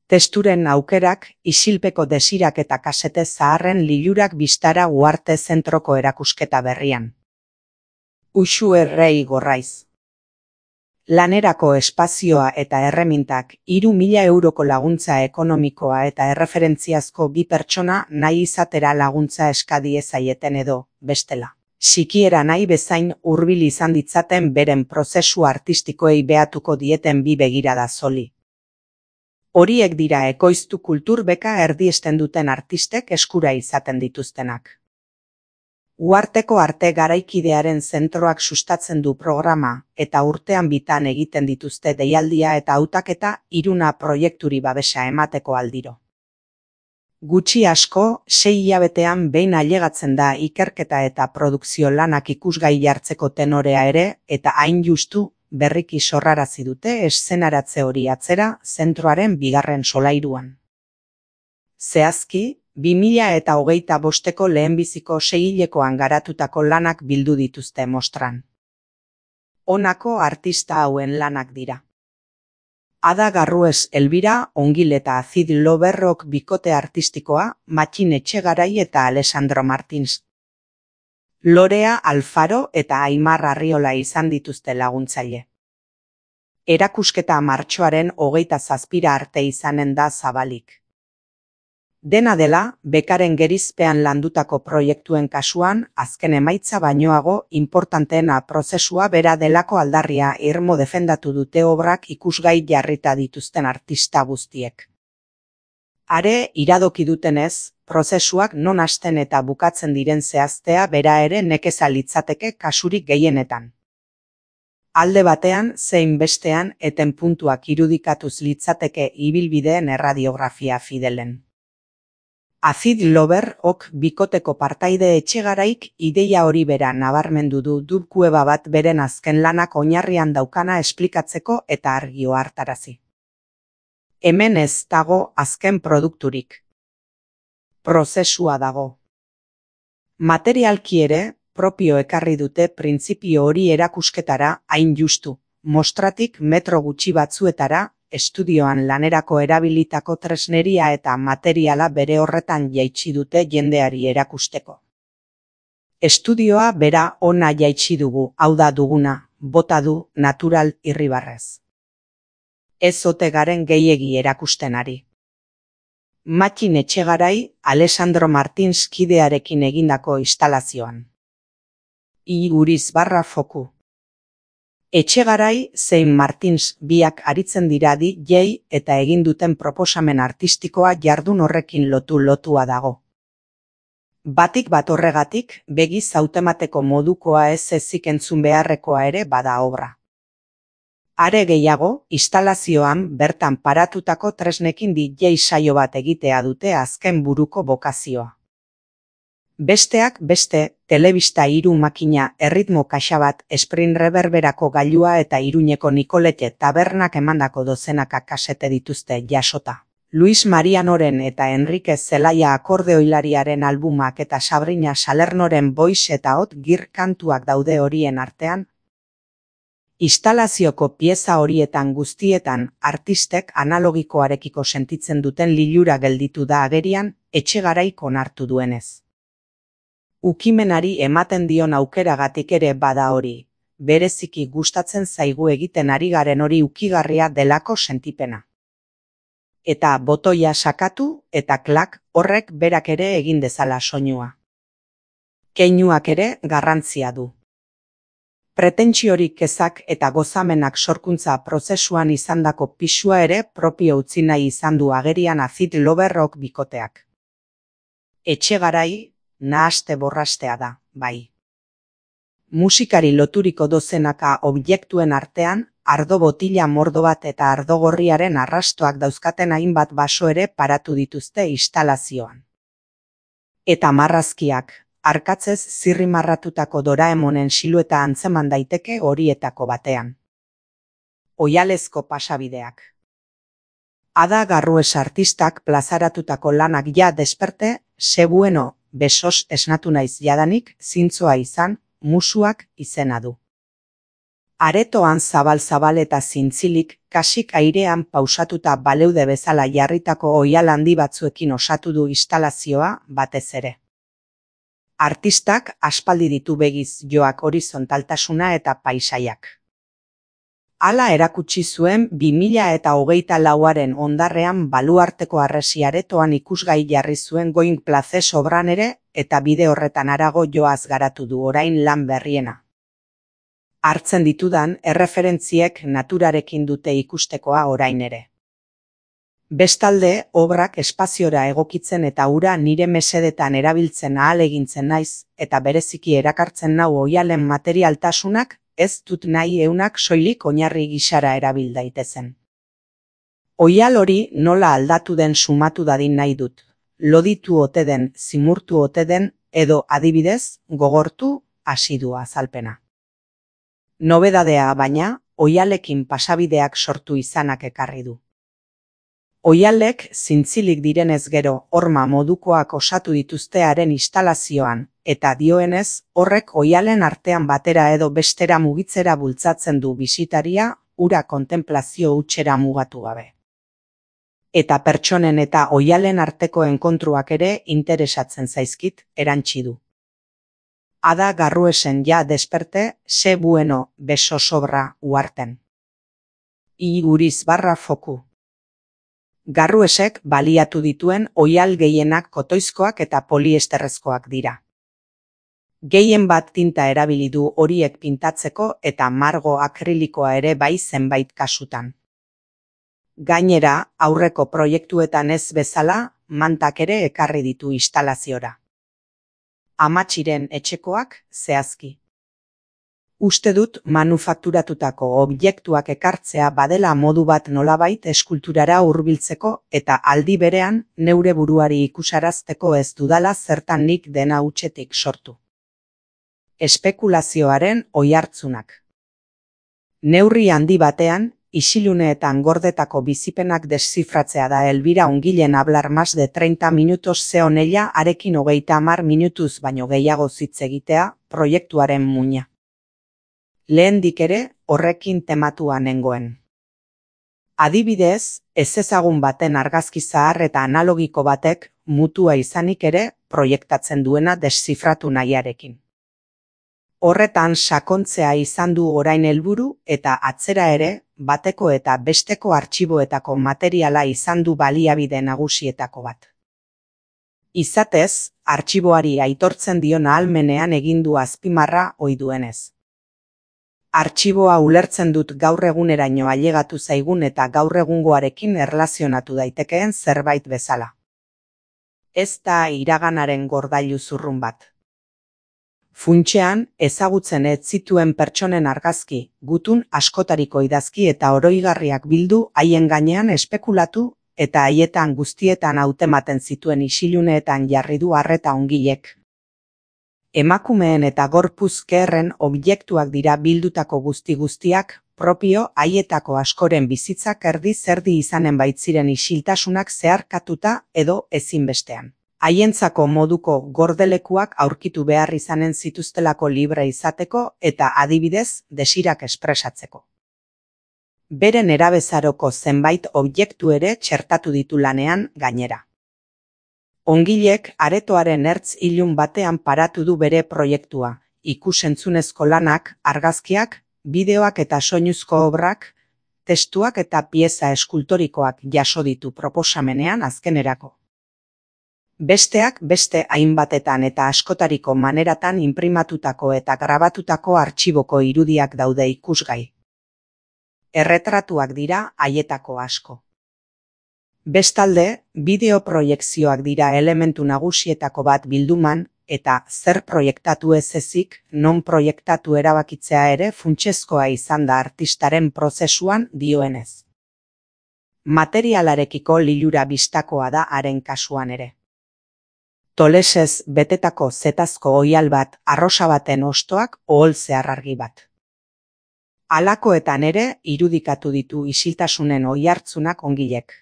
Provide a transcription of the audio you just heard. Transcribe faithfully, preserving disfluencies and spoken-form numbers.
Testuren aukerak, isilpeko desirak eta kasete zaharren lilurak bistara Uarte zentroko erakusketa berrian. Uxu Errei Gorraiz. Lanerako espazioa eta erremintak, hiru mila euroko laguntza ekonomikoa eta erreferentziazko bi pertsona nahi izatera laguntza eskadie zaieten edo, bestela. Sikiera nahi bezain hurbil izan ditzaten beren prozesu artistikoei behatuko dieten bi begirada zoli. Horiek dira ekoiztu kultur beka erdiesten duten artistek eskura izaten dituztenak. Uarteko arte garaikidearen zentroak sustatzen du programa eta urtean bitan egiten dituzte deialdia eta hautaketa Iruna proiekturi babesa emateko aldiro. Gutxi asko, sei hilabetean behin ailegatzen da ikerketa eta produkzio lanak ikusgai jartzeko tenorea ere eta hain justu berriki sorrarazi dute eszenaratze hori atzera zentroaren bigarren solairuan. Zehazki, bi mila eta hogeita bosteko lehenbiziko seihilekoan garatutako lanak bildu dituzte mostran. Honako artista hauen lanak dira. Ada Garrues Elbira, Ongil eta Acid Loverrok bikote artistikoa, Matxin Etxegarai eta Alessandro Martins. Lorea Alfaro eta Aimar Arriola izan dituzte laguntzaile. Erakusketa martxoaren hogeita zazpira arte izanen da zabalik. Dena dela, bekaren gerizpean landutako proiektuen kasuan, azken emaitza bainoago inportanteena prozesua bera delako aldarria irmo defendatu dute obrak ikusgai jarrita dituzten artista guztiek. Are, iradoki dutenez, prozesuak non hasten eta bukatzen diren zehaztea bera ere nekeza litzateke kasurik gehienetan. Alde batean, zein bestean, eten puntuak irudikatuz litzateke ibilbideen erradiografia fidelen. Acid Lover ok bikoteko partaide Etxegaraik ideia hori bera nabarmendu du dubkueba bat beren azken lanak oinarrian daukana esplikatzeko eta argio hartarazi. Hemen ez dago azken produkturik. Prozesua dago. Materialki ere, propio ekarri dute printzipio hori erakusketara hain justu, mostratik metro gutxi batzuetara, estudioan lanerako erabilitako tresneria eta materiala bere horretan jaitsi dute jendeari erakusteko. Estudioa bera ona jaitsi dugu, hau da duguna, bota du natural irribarrez. Ez ote garen gehiegi erakusten ari. Matxin Etxegarai, Alessandro Martins kidearekin egindako instalazioan. Iguriz barra foku. Etxegarai zein Martins biak aritzen dira di jei eta egin duten proposamen artistikoa jardun horrekin lotu lotua dago. Batik bat horregatik, begiz hautemateko modukoa ez ezik entzun beharrekoa ere bada obra. Are gehiago, instalazioan bertan paratutako tresnekin di jei saio bat egitea dute azken buruko bokazioa. Besteak beste, telebista hiru makina erritmo kaxa bat sprint reverberako gailua eta Iruñeko Nikolete tabernak emandako dozenaka kasete dituzte jasota. Luis Marianoren eta Enrique Zelaia akordeoilariaren albumak eta Sabrina Salernoren voice eta hot gir kantuak daude horien artean. Instalazioko pieza horietan guztietan artistek analogikoarekiko sentitzen duten lilura gelditu da agerian, Etxegaraik onartu duenez. Ukimenari ematen dion aukeragatik ere bada hori, bereziki gustatzen zaigu egiten ari garen hori ukigarria delako sentipena. Eta botoia sakatu eta klak horrek berak ere egin dezala soinua. Keinuak ere garrantzia du. Pretentsiorik kezak eta gozamenak sorkuntza prozesuan izandako pisua ere propio utzi nahi izan du agerian Acid Loverrok bikoteak. Etxegarai, nahaste borrastea da, bai. Musikari loturiko dozenaka objektuen artean, ardo botila mordo bat eta ardogorriaren arrastoak dauzkaten hainbat baso ere paratu dituzte instalazioan. Eta marrazkiak, arkatzez zirrimarratutako Doraemonen silueta antzeman daiteke horietako batean. Oihalezko pasabideak. Ada Garrues artistak plazaratutako lanak ja desperte, sebueno, besos esnatu naiz jadanik, zintzoa izan, musuak izena du. Aretoan zabal-zabal eta zintzilik, kasik airean pausatuta baleude bezala jarritako oihal handi batzuekin osatu du instalazioa batez ere. Artistak aspaldi ditu begiz joak horizontaltasuna eta paisaiak. Hala erakutsi zuen bi mila eta hogeita lauaren ondarrean baluarteko harresi aretoan ikusgai jarri zuen Going Places obran ere, eta bide horretan harago joaz garatu du orain lan berriena. Hartzen ditudan erreferentziek naturarekin dute ikustekoa orain ere. Bestalde, obrak espaziora egokitzen eta ura nire mesedetan erabiltzen ahalegintzen naiz, eta bereziki erakartzen nau oihalen materialtasunak, ez dut nahi eunak soilik oinarri gisara erabil daitezen. Oihal hori nola aldatu den sumatu dadin nahi dut, loditu ote den, zimurtu ote den, edo adibidez, gogortu, asidua azalpena. Nobedadea baina, oihalekin pasabideak sortu izanak ekarri du. Oihalek zintzilik direnez gero horma modukoak osatu dituzte haren instalazioan, eta dioenez horrek oihalen artean batera edo bestera mugitzera bultzatzen du bisitaria, ura kontenplazio hutsera mugatu gabe. Eta pertsonen eta oihalen arteko enkontruak ere interesatzen zaizkit, erantsi du. Ada Garruesen ja desperte, se bueno, beso sobra, uarten. Iguriz barra foku. Garruesek baliatu dituen oihal gehienak kotoizkoak eta poliesterrezkoak dira. Gehien bat tinta erabili du horiek pintatzeko eta margo akrilikoa ere bai zenbait kasutan. Gainera, aurreko proiektuetan ez bezala, mantak ere ekarri ditu instalaziora. Amatxiren etxekoak zehazki. Uste dut manufakturatutako objektuak ekartzea badela modu bat nolabait eskulturara hurbiltzeko eta aldi berean neure buruari ikusarazteko ez dudala zertan nik dena hutsetik sortu. Espekulazioaren oihartzunak. Neurri handi batean, isiluneetan gordetako bizipenak deszifratzea da Elbira Ongilen hablar más de treinta minutos zeon ella arekin hogeita hamar minutuz baino gehiago hitz egitea, proiektuaren muina. Lehendik ere, horrekin tematua nengoen. Adibidez, ezezagun baten argazki zahar eta analogiko batek, mutua izanik ere, proiektatzen duena deszifratu nahiarekin. Horretan sakontzea izan du orain helburu eta atzera ere, bateko eta besteko artxiboetako materiala izan du baliabide nagusietako bat. Izatez, artxiboari aitortzen dion ahalmenean egin du azpimarra ohi duenez. Artxiboa ulertzen dut gaur eguneraino ailegatu zaigun eta gaur egungoarekin erlazionatu daitekeen zerbait bezala. Ez da iraganaren gordailu zurrun bat. Funtsean, ezagutzen ez zituen pertsonen argazki, gutun askotariko idazki eta oroigarriak bildu haien gainean espekulatu eta haietan guztietan hautematen zituen isiluneetan jarri du arreta Ongilek. Emakumeen eta gorpuzkerren objektuak dira bildutako guzti-guztiak, propio haietako askoren bizitzak erdi-zerdi izanen baitziren isiltasunak zeharkatuta edo ezinbestean. Haientzako moduko gordelekuak aurkitu behar izanen zituztelako libre izateko eta adibidez desirak espresatzeko. Beren erabezaroko zenbait objektu ere txertatu ditu lanean gainera. Ongilek aretoaren ertz ilun batean paratu du bere proiektua, ikus-entzunezko lanak, argazkiak, bideoak eta soinuzko obrak, testuak eta pieza eskultorikoak jaso ditu proposamenean azkenerako. Besteak beste hainbatetan eta askotariko maneratan inprimatutako eta grabatutako artxiboko irudiak daude ikusgai. Erretratuak dira haietako asko. Bestalde, bideo-proiekzioak dira elementu nagusietako bat bilduman eta zer proiektatu ez ezik, non proiektatu erabakitzea ere funtsezkoa izan da artistaren prozesuan dioenez. Materialarekiko lilura bistakoa da haren kasuan ere. Tolesez betetako zetazko oihal bat, arrosa baten ostoak ohol zeharrargi bat. Halakoetan ere irudikatu ditu isiltasunen oihartzunak Ongilek.